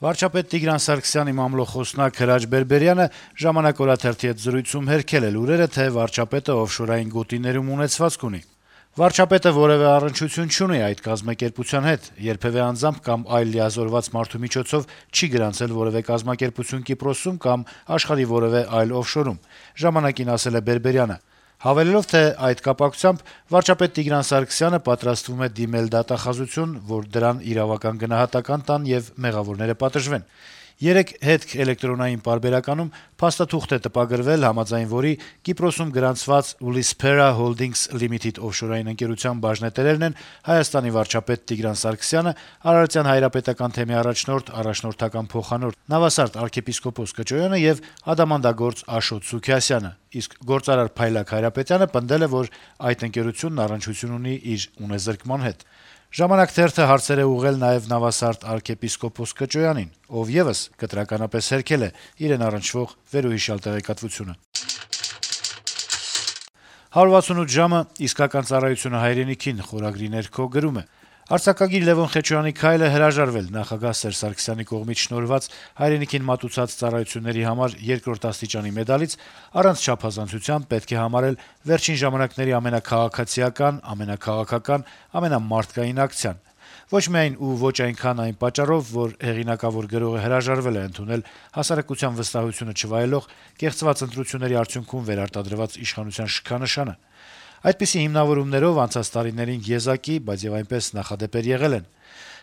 Վարչապետ Տիգրան Սարգսյանի մամլոխոսնակ Հրաչ Բերբերյանը «Ժամանակ» օրաթերթի հետ զրույցում հերքել է լուրերը, թե վարչապետը օֆշորային գոտիներում ունեցվածք ունի։ Վարչապետը որեւէ առնչություն չունի այդ կազմակերպության հետ, երբեւէ անձամբ կամ այլ լիազորված մարդու միջոցով չի գրանցել որեւէ կազմակերպություն Կիպրոսում կամ աշխարհի որեւէ այլ օֆշորում, «Ժամանակ»-ին ասել է Բերբերյանը, հավելելով, թե այդ կապակցությամբ վարչապետ Տիգրան Սարգսյանը պատրաստվում է դիմել դատախազություն, որ դրան իրավական գնահատական տան եւ մեղավորները պատժվեն։ Երեկ «Հետք» էլեկտրոնային պարբերականում փաստաթուղթ է տպագրվել, համաձայն որի Կիպրոսում գրանցված Ulyspera Holdings Limited օֆշորային ընկերության բաժնետերերն են Հայաստանի վարչապետ Տիգրան Սարգսյանը, Արարատյան հայրապետական թեմի առաջնորդ, առաջնորդական փոխանորդ Նավասարդ arczepiskopos Կճոյանը եւ ադամանդագործ Աշոտ Սուքիասյանը, իսկ գործարար Փայլակ Հայրապետյանը պնդել է, որ այդ ընկերությունն առնչություն ունի իր ունեզրկման հետ։ «Ժամանակ» թերթը հարցեր է ուղղել նաեւ Նավասարդ arczepiskopos Կճոյանին, ով եւս կտրականապես հերքել է իրեն առնչվող վերոհիշյալ տեղեկատվությունը։ 168 ժամը իսկական ծառայությունը հայրենիքին խորագրի ներքո գրում է. Արձակագիր Լեւոն Խեչոյանի քայլը հրաժարվել նախագահ Սերժ Սարգսյանի կողմից շնորհված հայրենիքին մատուցած ծառայությունների համար 2-րդ աստիճանի մեդալից առանց չափազանցության պետք է համարել վերջին ժամանակների ամենաքաղաքացիական, ամենաքաղաքական, ամենամարդկային ակցիան։ Ոչ միայն ու ոչ այնքան այն պատճառով, որ հեղինակավոր գրողը հրաժարվել է ընդունել հասարակության վստահությունը չվայելող կեղծված ընտրությունների արդյունքում վերարտադրված իշխանության շքանշանը։ Այդպիսի հիմնավորումներով անցած տարիներին եզակի, բայց եւ այնպես նախադեպեր եղել են։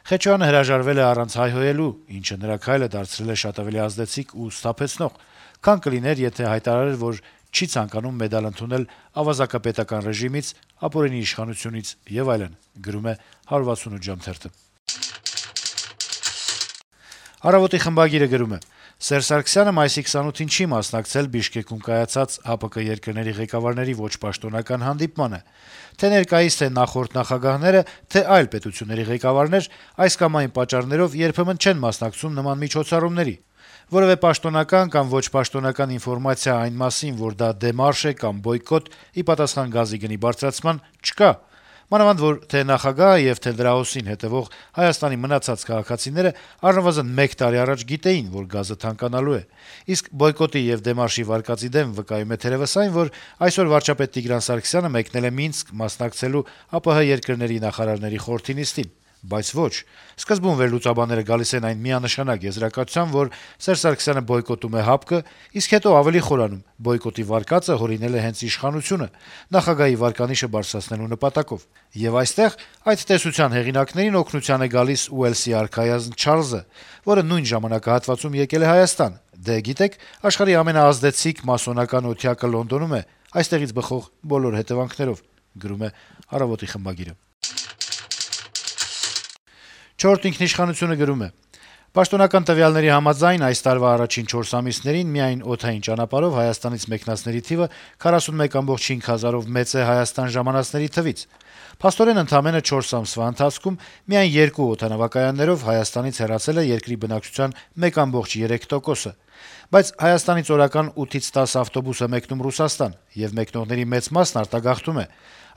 Խեչոյանը հրաժարվել է առանց հայհոյելու, ինչը նրա քայլը դարձրել է շատ ավելի ազդեցիկ ու սթափեցնող, քան կլիներ, եթե հայտարարեր, որ չի ցանկանում մեդալ ընդունել ավազակապետական ռեժիմից, ապօրինի իշխանությունից եւ այլն, գրում է 168 ժամ թերթը։ Առավոտի խմբագիրը գրում է. Սերժ Սարգսյանը մայիսի 28-ին չի մասնակցել Բիշկեկում կայացած ՀԱՊԿ երկրների ղեկավարների ոչ պաշտոնական հանդիպմանը։ Թե ներկայիս, թե նախորդ նախագահները, թե այլ պետությունների ղեկավարներ այս կամ այն պատճառներով երբեմն չեն մասնակցում նման միջոցառումների։ Որևէ պաշտոնական կամ ոչ պաշտոնական ինֆորմացիա այն մասին, որ դա դեմարշ է կամ բոյկոտ ի պատասխան գազի գնի բարձրացման, չկա։ Մանավանդ որ թե նախագահը եւ թե դրա օսին հետեւող Հայաստանի մնացած քաղաքացիները առնվազն 1 տարի առաջ գիտեին, որ գազը թանկանալու է։ Իսկ բոյկոտի եւ դեմարշի վարկածի դեմ վկայում է թերեւս այն, որ այսօր վարչապետ Տիգրան Սարգսյանը մեկնել է Մինսկ մասնակցելու ԱՊՀ երկրների նախարարների խորհրդի նիստին։ Բայց ոչ։ Սկզբում վերլուծաբանները գալիս են այն միանշանակ եզրակացության, որ Սերժ Սարգսյանը բոյկոտում է ՀԱՊԿ, իսկ հետո ավելի խորանում՝ բոյկոտի վարկածը հորինել է հենց իշխանությունը, նախագահի վարկանիշը բարձրացնելու նպատակով։ Եվ այստեղ այդ տեսության հեղինակներին օգնության է գալիս Ուելսի արքայազն Չարլզը, որը նույն ժամանակահատվածում եկել է Հայաստան։ Դե գիտեք, աշխարհի ամենաազդեցիկ մասոնական օթյակը Լոնդոնում է, այստեղից բխող բոլոր հետևանքներով, գրում է «Առավոտի» խմբագիրը։ «Չորրորդ ինքնիշխանություն»-ը գրում է. Պաշտոնական տվյալների համաձայն այս տարվա առաջին 4 ամիսներին միայն օդային ճանապարհով Հայաստանից մեկնածների թիվը 41.5 հազարով մեծ է Հայաստան ժամանածների թվից։ Փաստորեն ընդամենը 4 ամսվա ընթացքում միայն 2 օդանավակայաններով Հայաստանից հեռացել է երկրի բնակչության 1.3%-ը։ Բայց Հայաստանից օրական 8-ից 10 ավտոբուս է մեկնում Ռուսաստան, եւ մեկնողների մեծ մասն արտագաղթում է։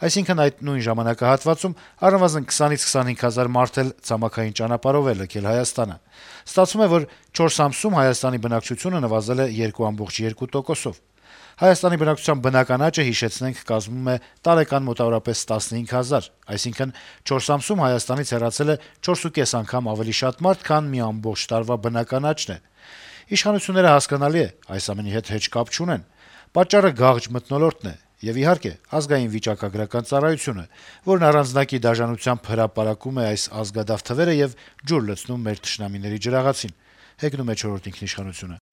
Այսինքն այդ նույն ժամանակահատվածում առնվազն 20-ից 25 հազար մարդ էլ ցամաքային ճանապարհով է լքել Հայաստանը։ Ստացվում է, որ 4 ամսում Հայաստանի բնակչությունը նվազել է 2.2%-ով։ Հայաստանի բնակչության բնական աճը, հիշեցնենք, կազմում է տարեկան մոտավորապես 15 հազար, այսինքն 4 ամսում Հայաստանից հեռացել է 4.5 անգամ ավելի շատ մարդ, քան մի ամբողջ տարվա բնական աճն է։ Իշխանությունները, հասկանալի է, այս ամենի հետ հեչ կապ չունեն։ Պատճառը գաղջ մթնոլորտն է եւ, իհարկե, ազգային վիճակագրական ծառայությունը, որն առանձնակի դաժանությամբ հրապարակում է այս ազգադավ թվերը եւ ջուր լցնում մեր թշնամիների ջրաղացին, հեգնում է «Չորրորդ ինքնիշխանություն»-ը։